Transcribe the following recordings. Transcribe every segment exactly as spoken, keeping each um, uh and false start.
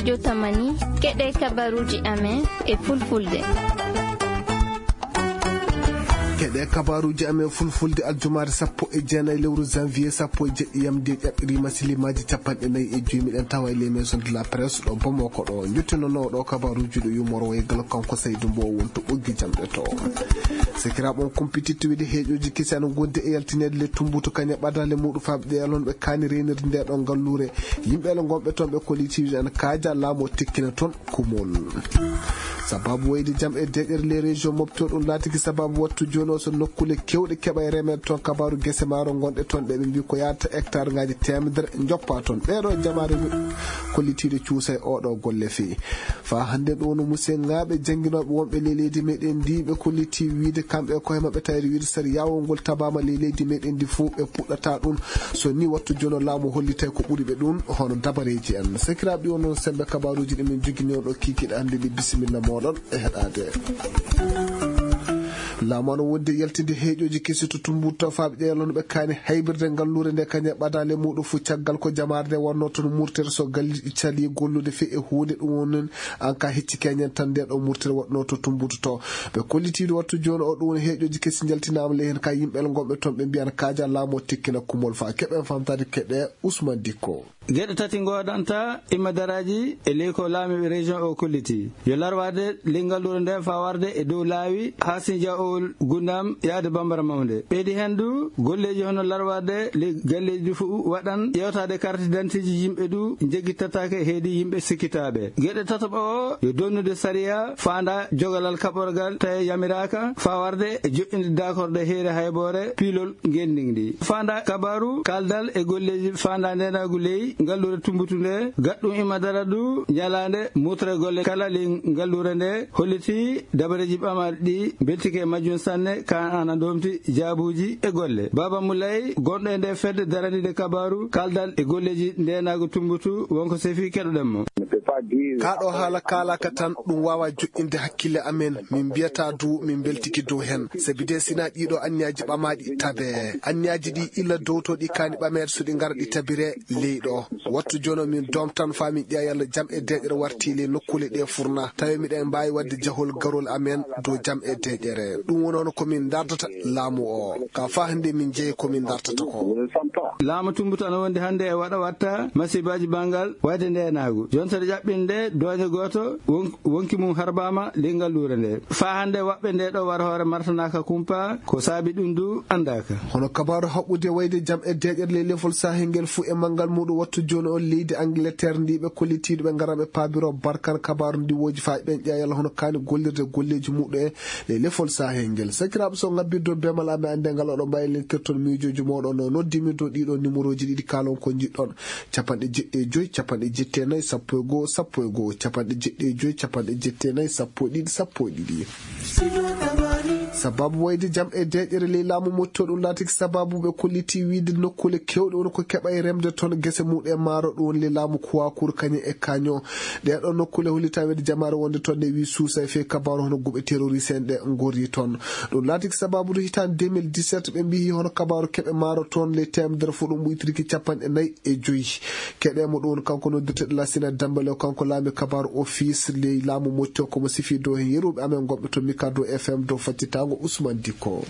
Jotamani, keɗe kabaruuji amen e fulfulde. Keɗe kabaruuji amen fulfulde aljumaare sappo e jeenayi lewru janvier sappo e jeɗɗi yamde ƴaɓɓiri masilimaaji capanɗe nayi e joyi. Miɗen tawa e les maisons de la presse ɗo Bamako ɗo. Njottino no ɗo kabaruuji ɗo yumoro e galo kanko Saydu Mbow wonto ɓoggi jamɗe to. Sekiraaɓe on kumpititti wiide heeƴooji kesi ana ngondi e yaltineede le tumbutu kañe ɓadaale muɗum faaɓe ɗe yalon ɓe kaani reenirde nde ɗo ngalluure. Yimɓe le ngonɓe toon ɓe kollitiiɓe ana kaaja laamu o tekkina toon kumol. Sababu wayde jam e deeƴere les régions mofto ɗum laatiki sababu wattu jooni o so nokkule kewɗe keɓa e remeede toon kabaaru gese maaro ngonɗe toon ɗe ɓe mbi ko yaata hectare ngaji temedere joppa toon ɓeɗo jamaare kollitiiɗe cuusa e oɗo golle fii. Faa hannde ɗo no musenŋaaɓe jannginooɓe wonɓe ley leydi meɗen ndi ɓe kolliti wiide kamɓe e koye maɓɓe tawiri wiide sariyaawol ngol tabaama ley leydi meɗen ndi fof ɓe puɗɗata ɗum. So ni wattu jono laamu hollitay ko ɓuri ɓe ɗum hono dabareeji en. Sakiraaɓe ɗi on noon sembe kabaaruuji ɗi min jogini on ɗo kiikiiɗe hannde ɗi bisimilla mooɗon e heɗaade. Laamu ana wonde yaltinde heeƴooji kesi to tumbuto faaɓe ƴeelon ɓe kaani haybirde ngalluure nde kañe ɓadaale muɗum fof caggal ko jamaare nde wonno toon murtere so galliɗi cali gollude fii e huunde ɗum woni an ka hecci keñen tan nde ɗo murtere waɗno to tumbuto to. Ɓe kollitiiɗo wattu jooni o ɗum woni heeƴooji kesi njaltinaama ley heen ka yimɓe gonɓe toon ɓe mbiyan kaaja laamu o tekkina kumol faa keɓen famtaade keɗe Usman Dikko. Geɗe tati ngoodanta immadaraaji e ley ko laamiiɓe région o kolliti. Yo larwaade ley ngalluure nde faa warde e dow laawi haa Sinja o Gundam yaade Bambara Mawnde. Ɓeydi heen du golleeji hono larwaade ley galleeji du fof waɗan ƴeewtaade carte d'identité ji yimɓe du njeggitataake heedi yimɓe sikkitaaɓe. Geɗe tataɓa o yo donnude sariya faanda jogalal kaɓorgal tawi yamiraaka faa warde e joƴƴinde dakorde heere hayboore piilol ngenndi ndi. Faanda kabaaru kaaldal e golleeji faanda ndeenaagu ley ngalluure tumbutu nde gaɗɗum imma dara du ñalaande mutre golle kala ley ngalluure nde holliti dabareeji ɓamaaɗi ɗi mbeltike e majjum sanne ka ana ndomti jaabuuji e golle. Baaba Mulay gonɗo e nde fedde daraniide kabaaru kaaldal e golleeji ndeenaagu tumbutu wonko sefi keɗoɗen mo. Ka ɗo haala kaalaka tan ɗum waawa joƴƴinde hakkille amen. Min mbiyata du min mbeltiki dow heen. Sabi de sina ɗiɗo anniyaaji ɓamaaɗi tabe. Anniyaaji ɗi illa dowtoɗi kaani ɓameede so ɗi ngara ɗi tabire ley ɗo. Wattu jono min doom tan faa min ƴeewa yalla jam e deeƴere warti ley nokkuule ɗe furna. Tawi miɗen mbaawi waɗde jahol garol amen dow jam e deeƴere. Ɗum woni hono ko min ndardata laamu o. Ka faa hannde min njeyi ko min ndartata ko. Laamu tumbutu ana wondi hannde e waɗa watta masibaaji banngal wayde ndeenaagu. Jontere ƴaɓɓinde doñe gooto won-, wonki mum harbaama ley ngalluure nde. Faa hannde waɓɓe nde ɗo war hoore martanaaka kumpa, ko saabi ɗum du anndaaka. Hono kabaaru haɓɓude wayde jam e deeƴere ley lefol sahel ngel fuu e manngal muɗum wattu jooni o leydi Angleterre ndi ɓe kollitiiɗo ɓe ngara ɓe paabiro barkan kabaaru ndi woji faa ɓen ƴeewa yalla hono kaani gollirde golleeji muɗum e ley lefol sahel ngel. Sakiraaɓe so ngabbirdo bemal amen annde ngal oɗo mbayi lentirton miijooji mooɗon no noddimirdo ɗiɗo numéroji ɗiɗi kaalon ko njiɗɗon. Capanɗe jeɗɗi e joyi, capanɗe jeɗɗi e nayi, sappo e goo, sappo e goo, capanɗe jeɗɗi e joyi, capanɗe jeɗɗi e nayi, sappo e ɗiɗi, sappo e ɗiɗi. Sababu wayde jam e deeƴere ley laamu motto ɗum laatiki sababu ɓe kolliti wiide nokkuule kewɗe woni ko keɓa e remde toon gese muɗum e maaro ɗum woni ley laamu Kuwakuru kañum e Kaño. Ɗee ɗoo nokkuule hollita wayde jamaare wonde toon ɗe wii suusa e fee kabaaru hono guɓe terroriste en ɗe ngorri toon. Ɗum laatiki sababu ndu hitaande deux mille dix-sept ɓe mbiyi hono kabaaru keɓe maaro toon ley teemedere fof ɗum ɓuytirki capanɗe nayi e joyi. Keɗe mo ɗum kanko noddirteɗo Lasina Dambale o kanko laami kabaaru office ley laamu motto ko mo sifi dow heen yeruɓe amen gonɓe to Mikado F M dow faccitaango Usman Dikko.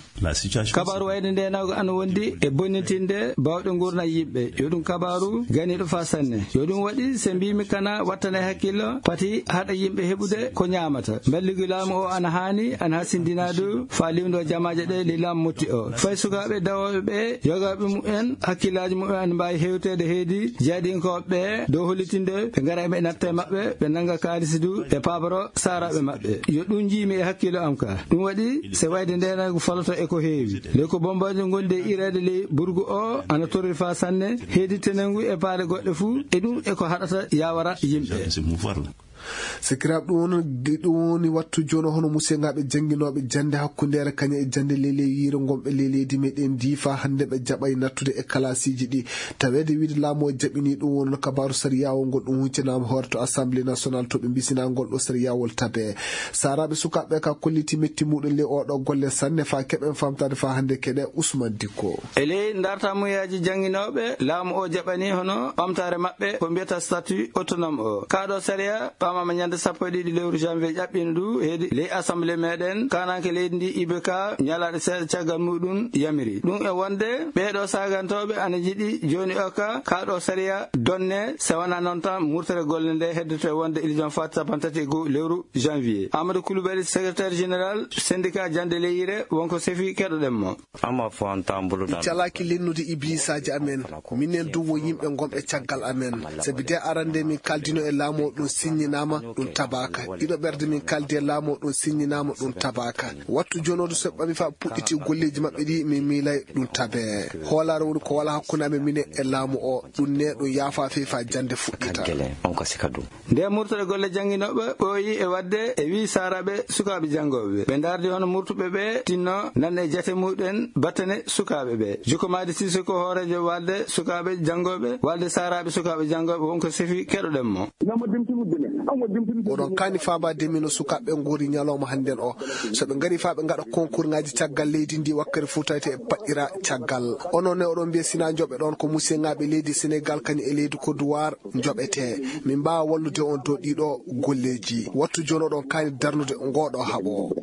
Kabaaru wayde ndeenaagu ana wondi e bonnitinde baawɗe nguurna yimɓe. Yo ɗum kabaaru ganiiɗo faa sanne. Yo ɗum waɗi se mbiimi kana wattane hakkillo pati haɗa yimɓe heɓude ko ñaamata. Mballigi laamu o ana haani, ana hasindinaa du faa liwndo jamaaje ɗe ley laamu motti o. Fay sukaaɓe dawooɓe ɓe, yogaaɓe mumen, hakkillaaji mumen ana mbaawi hewteede heedi jaaɗinkooɓe ɓe dow hollitinde ɓe ngara ɓe natta e maɓɓe, ɓe nannga kaalisi du, ɓe paaboro saaraaɓe maɓɓe. Yo ɗum njiimi e hakkillo am ka. Ɗum waɗi se wayde ndeenaagu faloto e ko heewi. Ley ko bombaaji ngondi e ireede ley burgu o ana torri faa sanne, heedi tenengu e paale goɗɗe fuu, e ɗum e ko haɗata yaawara yimɓe. Sakiraaɓe, ɗum woni, ɗum woni wattu jooni o, hono musiyŋaaɓe jannginooɓe jannde hakkundeere kañum e jannde ley ley yiire ngonɓe ley leydi meɗen ndi, faa hannde ɓe jaɓay nattude e kalaasiiji ɗi. Taweede wiide laamu o jaɓinii ɗum, woni no kabaaru sariyaawo ngol ɗum huccanaama hoore to Assemblée nationale to ɓe mbisinaa ngol ɗo sariyaawol tabe. Saaraaɓe sukaaɓe ka kolliti metti muɗum ley oɗo golle sanne, faa keɓen famtaade faa hannde keɗe Usman Dikko. E ley ndarta muyaaji jannginooɓe, laamu o jaɓanii hono ɓamtaare maɓɓe ko mbiyata statut autonome o. Kaa ɗo sariya ɓamaama ñande sappo e ɗiɗi lewru janvier ƴaɓɓiino ndu heedi ley Assemblée meɗen, kaananke leydi ndi I B K ñalaaɗe seeɗa caggal muɗum yamiri. Ɗum e wonde ɓee ɗo saagantooɓe ana njiɗi jooni o ka, kaa ɗo sariya donne, so wanaa noon tan murtere golle nde heddoto e wonde ilijon fat cappanɗe tati e go'o lewru janvier. Amadou Coulibaly, secrétaire général syndicat jannde ley yiire, wonko sefi, keɗoɗen mo. Amma fo an tambulu. Mi calaaki lennude ibliisaaji amen. Minen du wo yimɓe ngonɓe caggal amen. Sabi de arande min kaaldino e laamu o ɗum siññinaama, ɗum tabaaka. Ɗiɗo ɓerde min kaaldi e laamu o ɗum siññinaama, ɗum tabaaka. Wattu jooni o du so ɓami faa puɗɗiti golleeji maɓɓe ɗi, min miilay ɗum tabe. Hoolaare woni ko wala hakkunde amen minen e laamu o. Ɗum ne ɗum yaafaa fey faa jannde fuɗɗita. Kaggele, on ko sika ɗum. Nde murtere golle jannginooɓe ɓooyi e waɗde e wii saaraaɓe sukaaɓe janngooɓe ɓe. Ɓe ndaardi hono murtuɓe ɓe tinno nan e jate muɗen battane sukaaɓe ɓe. Juko Madi Sissoko, hooreejo walde sukaaɓe janngooɓe, walde saaraaɓe sukaaɓe janngooɓe, wonko sefi, keɗoɗen mo. Oɗon kaani faabaade min no sukaaɓe ɓe ngoori ñalawma hannden o. So ɓe ngarii faa ɓe ngaɗa konkurŋaaji caggal leydi ndi wakkati fof tawete e paɗɗira caggal. Onon ne oɗon mbiya sinaa njoɓe ɗon ko musiyŋaaɓe leydi Senegal kañum e leydi Côte d'Ivoire njoɓete. Min mbaawa wallude on dow ɗiɗo golleeji. Wattu jooni oɗon kaani darnude ngooɗo haɓo.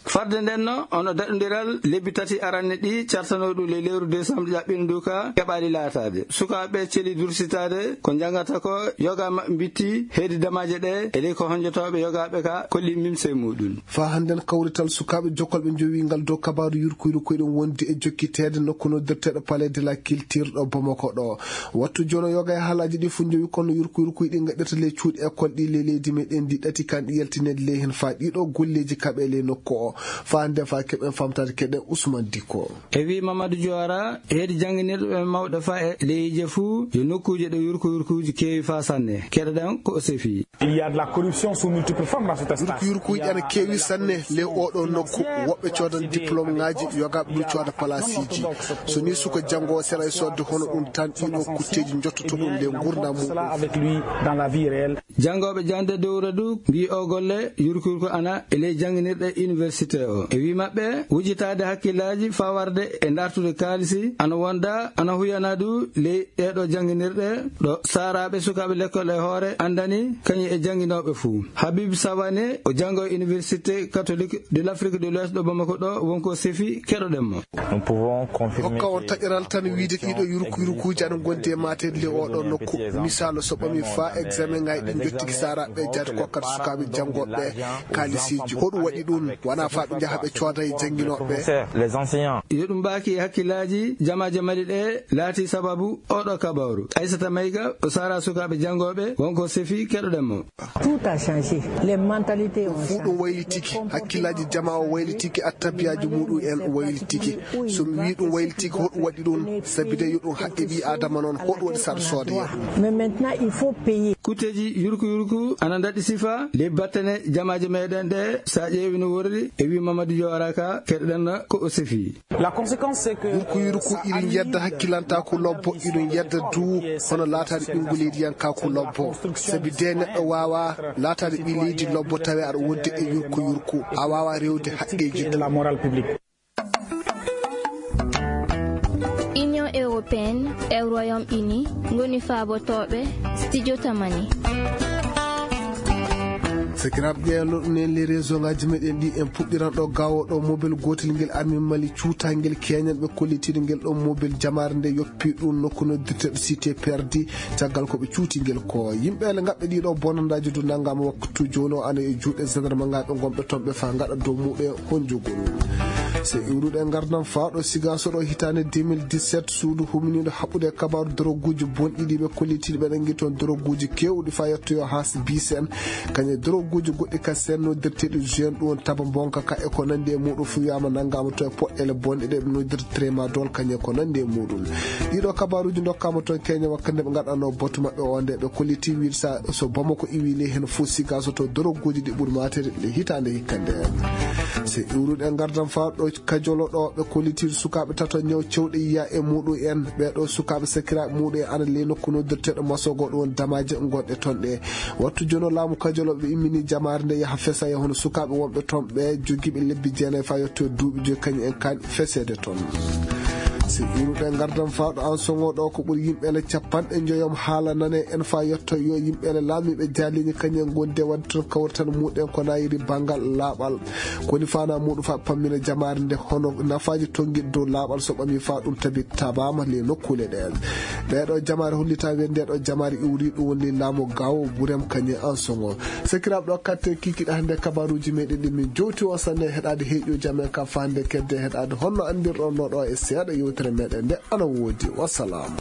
Farde nden no, ono daɗondiral lebbi tati aranne ɗi cartanoo ɗum ley lewru décembre ƴaɓɓiino ndu ka keɓaali laataade. Sukaaɓe celi dursitaade ko njanngata ko yoga maɓɓe mbitti heedi damaaje ɗe e ley ko honjotooɓe yogaaɓe ka kolli mimse muɗum. Faa hannden kawrital sukaaɓe jokkolɓe njowi ngal dow kabaaru yurkuyru ko eɗen wondi e jokkiteede nokku noddirteeɗo Palais de la Culture ɗo Bamako ɗo. Wattu jooni o yoga e haalaaji ɗi fof njowi kono yurkuyurkuy ɗi ngaɗirta ley cuuɗi école ɗi ley leydi meɗen ndi ɗati kan ɗi yaltineede ley heen faa ɗiɗo golleeji kaɓe ley nokku o. Faa nde faa keɓen famtaade keɗe Ousmane Dikko. E wii Mamadou Diawara, heedi jannginirɓe mawɓe faa e ley yiije fuu, yo nokkuuje ɗo yurkuyurkuuji keewi faa sanne. Keɗoɗen ko o sefi. Il y a de la corruption sous multiples formes dans cet espace. Yurkuyurkuuji ana keewi sanne ley oɗo nokku. Woɓɓe coodan diplôme ŋaaji, yogaaɓe ɗum cooda palaasiiji. So nii suka janngoowo sera e soodde hono ɗum tan, ɗiɗo kutteeji njottoto ɗum ley nguurndam muɗum. Avec lui dans la vie réelle. Janngooɓe jannde dowra du mbii o golle yurkuyurku ana e ley jannginirɗe université o. E wii maɓɓe, wujitaade hakkillaaji faa warde e ndartude kaalisi ana wonda, ana huyana du ley ɗeeɗo jannginirɗe ɗo saaraaɓe sukaaɓe lekkol e hoore anndani kañum e jannginooɓe fuu. Habib Savané, o janngo e Université catholique de l'Afrique de l'Ouest ɗo Bamako ɗo, wonko sefi, keɗoɗen mo. Nous pouvons confirmer. Hokka on taƴaral tan wiide ɗiɗo yurkuyurkuuji ana ngondi e maateede ley oɗo nokku. Misaalu, so ɓami faa examen ŋaaji ɗi njottiki saaraaɓe jaade kokkat sukaaɓe janngooɓe kaalisiiji. Hoɗum waɗi ɗum? Wonaa faa ɓe njaha ɓe cooda e jannginooɓe. Les enseignants. Yo ɗum mbaaki hakkillaaji jamaaje Mali ɗe laati sababu oɗo kabaaru. Aissata Maïga, o saara sukaaɓe janngooɓe, wonko sefi, keɗoɗen mo. Tout a changé. Les mentalités ont changé. Fuu ɗum waylitiki, hakkillaaji jamaa o waylitiki, attabiyaaji muɗum en waylitiki. So mi wii ɗum waylitiki, hoɗum waɗi ɗum? Sabi de yo ɗum haqqe ɓii Aadama noon, hoɗum waɗi saɗa sooda yo ɗum? Mais maintenant, il faut payer. Kutteeji yurku yurku ana ndaɗi sifa ley battane jamaaje meɗen ɗe, so a ƴeewi no worri, e wii Mamadou Diawara ka, keɗoɗen ko o sefi. La conséquence, c'est que yurku yurku irin yedda hakkilantaaku lobbo, irin yedda du hono laataade ɓinngu leydi yankaaku lobbo. Sabi de neɗɗo waawaa laataade ɓii leydi lobbo tawi aɗa wondi e yurku yurku. A waawaa rewde haqqeeji. Et de la morale publique. Union européenne e Royaume-Uni ngoni faabotooɓe Studio Tamani. Sakiraaɓe, ƴeewa ɗum en les réseau ŋaaji meɗen ɗi, en puɗɗiran ɗo gawo ɗo mobel gootel ngel armi Mali cuutangel keñan ɓe kollitiiɗo ngel ɗo mobel jamaare nde yoppi ɗum nokku noddirteeɗo cité perdi caggal ko ɓe cuuti ngel ko. Yimɓe ele ngaɓɓe ɗiɗo bonandaaji du nanngaama waktu jooni o ana e juuɗe gendarme ŋaaɓe ngonɓe toon ɓe faa ngaɗa dow muɓe honjugol. So iwruɗe ngardam fawɗo sigaso ɗo hitande deux mille dix-sept, suudu huminiɗo haɓɓude kabaru doroguji bonɗiɗi ɓe kollitiɗi ɓe ɗangi toon doroguji kewɗi fa yettoyo has bisen. Kañe doroguji goɗɗi ka sennodirteɗi jeune ɗum taba bonka ka e ko nandi e muɗum fu wiyama nangama to e poɗɗele bonɗe ɗe ɓe noddirta tramadol kañe ko nandi e muɗum. Ɗiɗo kabaruji dokkama toon keñe wakka nde ɓe gaɗano batu maɓɓe o nde ɓe kolliti wiide sa so bamako iwi ley hen fof siga so to doroguji ɗi ɓuuri matere ɗe hitande hikka nde. So iwruɗe ngardam fa ɗo kajolo ɗo ɓe kolliti sukaɓe tato ñaw cewɗe yiya e muɗum en. Ɓeɗo sukaɓe sakiraɓe muɗum en ana ley nokku noddirteɗo masogo ɗum damaji gonɗe toon ɗe. Wattu jono laamu kajolo ɓe immini jamaare nde yaha fesa e hono sukaɓe wonɓe toon ɓe jogiɓe lebbi jeenayi fa yetto duuɓi joyi kañum en kan fesede toon. Si iruɗe ngardam fawɗo an songo ɗo ko ɓuri yimɓe ele capanɗe joyom haala nane en fa yetto yo yimɓe ele laamiɓe jaalini kañum en gonde wadde toon kawrital muɗen ko nayiri bangal laaɓal. Koni fana muɗum fa pammina jamaare nde hono nafaji tonguiɗe dow laaɓal so ɓami fa ɗum tabi tabama le nokkule ɗe. Ɓeɗo jamaare hollita wende ɗo jamaare iwri ɗum woni laamu gawo burem kañum en an songo. Sakiraɓe ɗo katte kikiɗa hande kabaruji meɗen ɗi min jowti on sanne heɗade heƴo jam en ka fande kedde heɗade honno andirɗon no ɗo e seeɗa yewtere meɗen nde ana woodi. Wassalam.